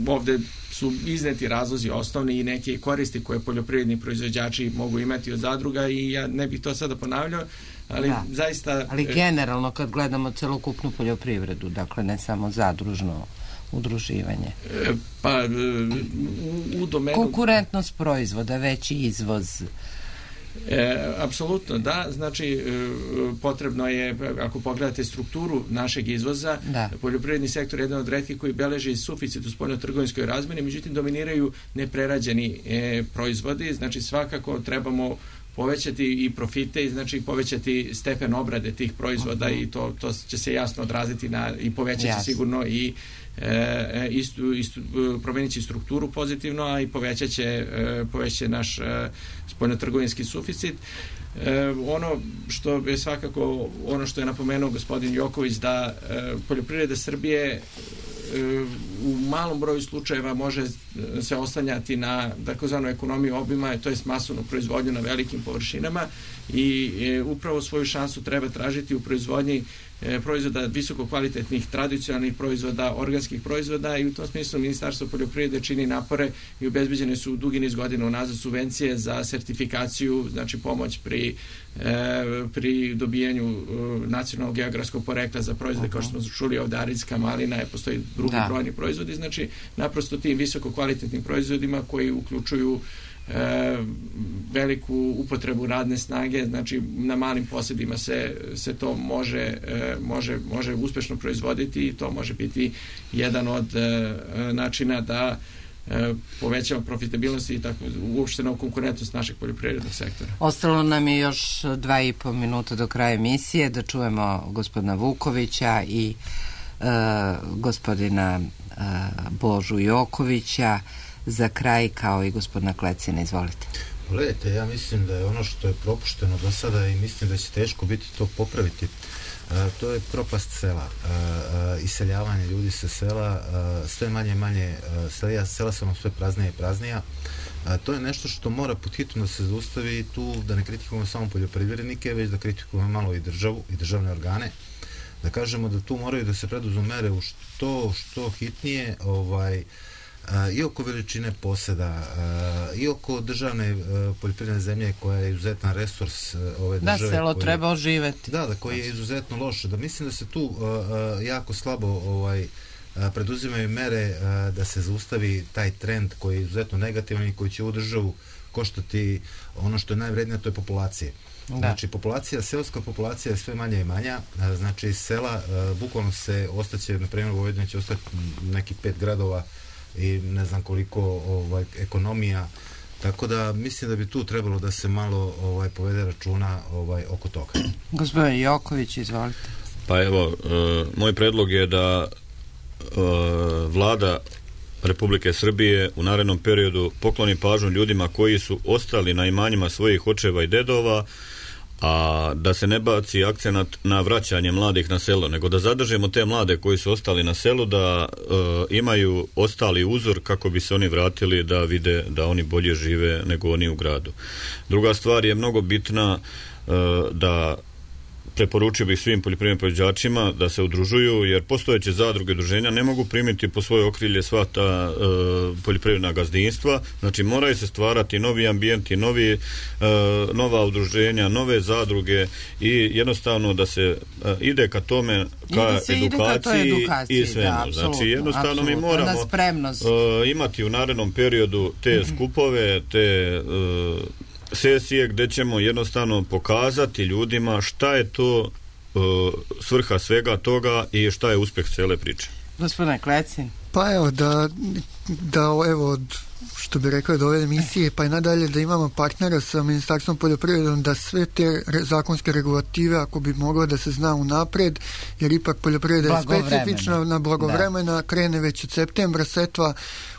ovde su izneti razlozi osnovni i neke koristi koje poljoprivredni proizvođači mogu imati od zadruga i ja ne bih to sada ponavljao, ali da. zaista... Ali generalno kad gledamo celokupnu poljoprivredu, dakle ne samo zadružno udruživanje. Pa u, u domenu... Konkurentnost proizvoda, veći izvoz. E, apsolutno da, znači e, potrebno je, ako pogledate strukturu našeg izvoza, da. Poljoprivredni sektor je jedan od retkih koji beleži suficit u spoljnotrgovinskoj razmeni, međutim dominiraju neprerađeni e, proizvodi, znači svakako trebamo povećati i profite i znači povećati stepen obrade tih proizvoda uh-huh. i to, to će se jasno odraziti na, i povećati yes. sigurno i e, istu, istu, promenit će strukturu pozitivno, a i povećat će, e, povećat će naš e, spoljnotrgovinski suficit. E, ono što je svakako, ono što je napomenuo gospodin Joković, da e, poljoprivreda Srbije u malom broju slučajeva može se oslanjati na takozvanu ekonomiju obima, to je masovnu proizvodnju na velikim površinama i e, upravo svoju šansu treba tražiti u proizvodnji e, proizvoda visoko kvalitetnih tradicionalnih proizvoda, organskih proizvoda i u tom smislu Ministarstvo poljoprivrede čini napore i obezbeđene su dugi niz godina unazad subvencije za sertifikaciju, znači pomoć pri e, pri dobijanju e, nacionalnog geografskog porekla za proizvode uh-huh. kao što smo čuli ovdje aridska malina, je postoji drugi da. brojni proizvodi, znači naprosto tim visoko kvalitetnim proizvodima koji uključuju e, veliku upotrebu radne snage, znači na malim posjedima se, se to može, e, može, može uspešno proizvoditi i to može biti jedan od e, načina da e, povećamo profitabilnost i tako uopšteno konkurentnost našeg poljoprivrednog sektora. Ostalo nam je još dva i po minuta do kraja emisije da čujemo gospodina Vukovića i e, gospodina e, Božu Jokovića za kraj, kao i gospodina Klecina. Izvolite. Gledajte, ja mislim da je ono što je propušteno do sada i mislim da će teško biti to popraviti. A, to je propast sela, a, a, iseljavanje ljudi sa sela, a, sve manje i manje sela, sela su nam sve praznija i praznija. A, to je nešto što mora pod hitno da se zaustavi i tu da ne kritikujemo samo poljoprivrednike, već da kritikujemo malo i državu i državne organe, da kažemo da tu moraju da se preduzmu mere u što, što hitnije, ovaj, a, i oko veličine poseda, a, i oko državne a, poljoprivredne zemlje koja je izuzetan resurs a, ove da, države. Da, selo koji, treba oživeti. Da, da, koji je izuzetno loš. Da mislim da se tu a, a, jako slabo ovaj, a, preduzimaju mere a, da se zaustavi taj trend koji je izuzetno negativan i koji će ovu državu koštati ono što je najvrednije, to je populacija. Da. Znači, populacija, seoska populacija je sve manja i manja, a, znači sela, a, bukvalno se ostaće, na primjer u Vojvodini će ostati neki pet gradova i ne znam koliko ovaj, ekonomija, tako da mislim da bi tu trebalo da se malo ovaj, povede računa ovaj, oko toga. Gospodin Joković, izvolite. Pa evo, e, moj predlog je da e, vlada Republike Srbije u narednom periodu pokloni pažnju ljudima koji su ostali na imanjima svojih očeva i dedova, a da se ne baci akcenat na vraćanje mladih na selo, nego da zadržimo te mlade koji su ostali na selu, da e, imaju ostali uzor kako bi se oni vratili da vide da oni bolje žive nego oni u gradu. Druga stvar je mnogo bitna, e, da preporučio bih svim poljoprivrednim proizvođačima da se udružuju, jer postojeće zadruge udruženja ne mogu primiti po svoje okrilje sva ta e, poljoprivredna gazdinstva, znači moraju se stvarati novi ambijenti, novi, e, nova udruženja, nove zadruge i jednostavno da se e, ide ka tome, ka edukaciji, edukaciji i svemu. Da, znači jednostavno apsolutno. Mi moramo e, imati u narednom periodu te mm-hmm. skupove, te e, sesije gdje ćemo jednostavno pokazati ljudima šta je to uh, svrha svega toga i šta je uspjeh cijele priče. Gospodine Klecin. Pa evo da, da evo od, što bi rekao od ove emisije pa i nadalje da imamo partnera sa Ministarstvom poljoprivredom da sve te re, zakonske regulative ako bi moglo da se zna unapred, jer ipak poljoprivreda je specifična na blagovremena, da. Krene već od septembra setva,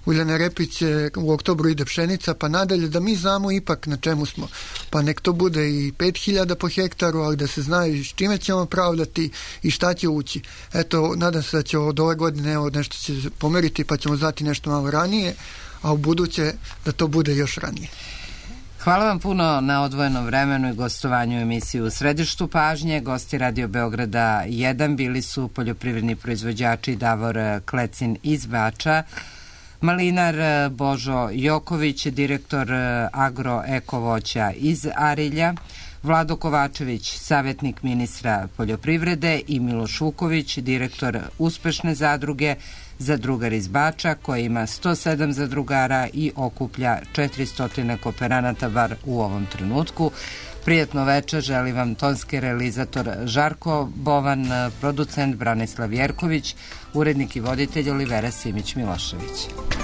uljane repice, u oktobru ide pšenica, pa nadalje da mi znamo ipak na čemu smo. Pa nek to bude i pet hiljada po hektaru, ali da se zna i s čime ćemo pravdati i šta će ući. Eto, nadam se da će od ove godine evo, nešto će pomeriti pa ćemo znati nešto malo ranije, a u buduće da to bude još ranije. Hvala vam puno na odvojenom vremenu i gostovanju u emisiji U središtu pažnje. Gosti Radio Beograda jedan bili su poljoprivredni proizvođači Davor Klecin iz Bača, Malinar Božo Joković, direktor Agro-Eko-voća iz Arilja, Vlado Kovačević, savjetnik ministra poljoprivrede i Miloš Vuković, direktor uspešne zadruge Zadrugar iz Bača, koja ima sto sedam zadrugara i okuplja četiristo kooperanata bar u ovom trenutku. Prijatno večer, želim vam tonski realizator Žarko Bovan, producent Branislav Jerković, urednik i voditelj Olivera Simić-Milošević.